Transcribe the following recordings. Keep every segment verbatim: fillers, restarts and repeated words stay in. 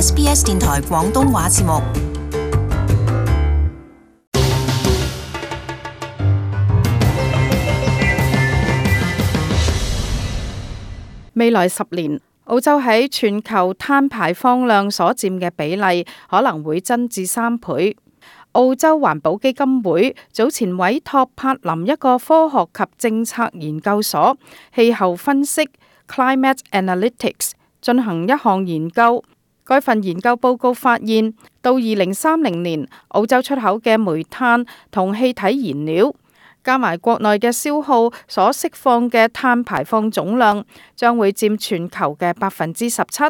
S B S 電台廣東話節目。未來十年，澳洲喺全球碳排放量所佔嘅比例可能會增至三倍。澳洲環保基金會早前委託柏林一個科學及政策研究所氣候分析 Climate Analytics 進行一項研究。該份研究報告發現，到二零三零年，澳洲出口嘅煤炭同氣體燃料加埋國內嘅消耗所釋放嘅碳排放總量，將會佔全球嘅百分之十七。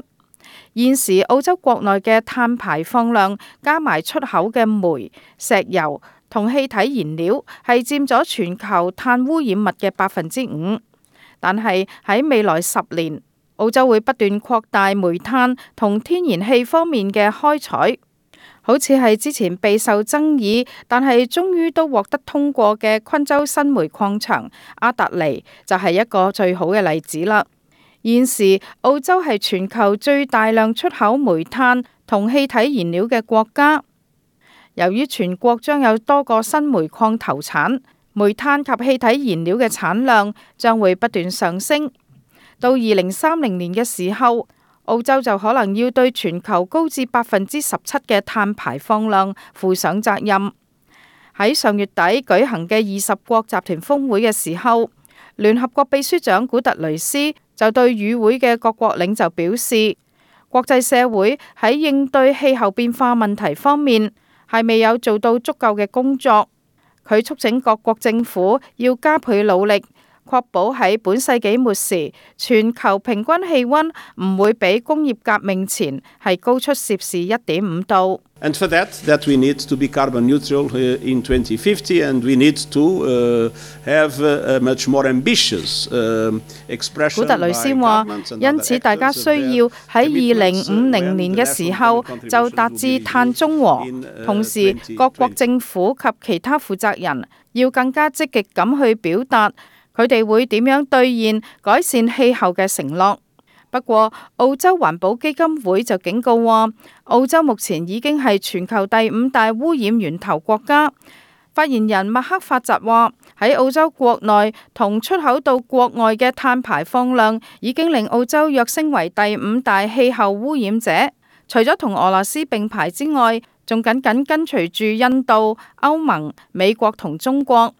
現時澳洲國內嘅碳排放量加埋出口嘅煤、石油同氣體燃料，係佔咗全球碳污染物嘅百分之五。但係喺未來十年，澳洲會不斷擴大煤炭同天然氣方面嘅開採。好似係之前備受爭議，但係終於都獲得通過嘅昆州新煤礦場阿達尼就係一個最好嘅例子啦。現時澳洲係全球最大量出口煤炭同氣體燃料嘅國家。由於全國將有多個新煤礦投產，煤炭及氣體燃料嘅產量將會不斷上升。到二零三零年嘅時候，澳洲就可能要對全球高至百分之十七嘅碳排放量負上責任。喺上月底舉行嘅二十國集團峰會嘅時候，聯合國秘書長古特雷斯就對與會嘅各國領袖表示，國際社會喺應對氣候變化問題方面係未有做到足夠嘅工作。佢促請各國政府要加倍努力，確保喺本世紀末時，全球平均氣溫唔會比工業革命前係高出攝氏一點五度。And for that, that we need to be carbon neutral in twenty fifty, and we need to have a much more ambitious expression. 古特雷斯話，因此大家需要喺二零五零年嘅時候就達至碳中和，同時各國政府及其他負責人要更加積極咁去表達佢哋會點樣兌現改善氣候嘅承諾。不過，澳洲環保基金會就警告話，澳洲目前已經係全球第五大污染源頭國家。發言人麥克法澤話，喺澳洲國內同出口到國外嘅碳排放量已經令澳洲躍升為第五大氣候污染者。除咗同俄羅斯並排之外，仲緊緊跟隨住印度、歐盟、美國同中國。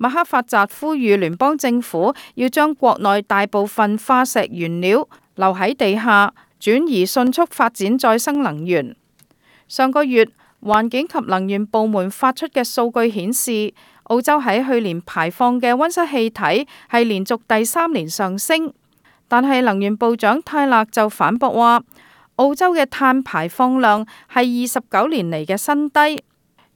麥克法澤呼籲聯邦政府要將國內大部分化石原料留喺地下，轉移迅速發展再生能源。上個月，環境及能源部門發出嘅數據顯示，澳洲喺去年排放嘅溫室氣體係連續第三年上升。但係能源部長泰勒就反駁話，澳洲嘅碳排放量係二十九年嚟嘅新低。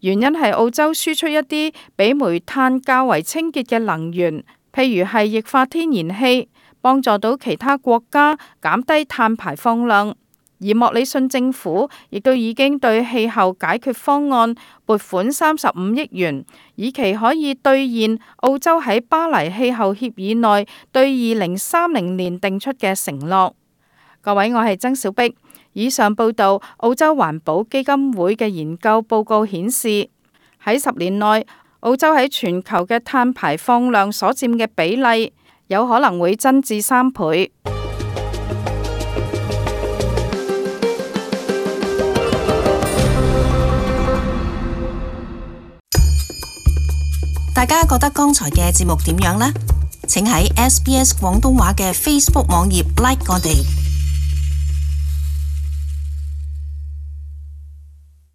原因係澳洲輸出一啲比煤炭較為清潔嘅能源，譬如係液化天然氣，幫助到其他國家減低碳排放量。而莫里遜政府亦都已經對氣候解決方案撥款三十五億元，以期可以兌現澳洲喺巴黎氣候協議內對二零三零年定出嘅承諾。各位，我係曾小碧。以上報道，澳洲環保基金會嘅研究報告顯示，喺十年內，澳洲喺全球嘅碳排放量所佔嘅比例有可能會增至三倍。大家覺得剛才嘅節目點樣呢？請喺 S B S 廣東話嘅 Facebook 網頁 like 我哋。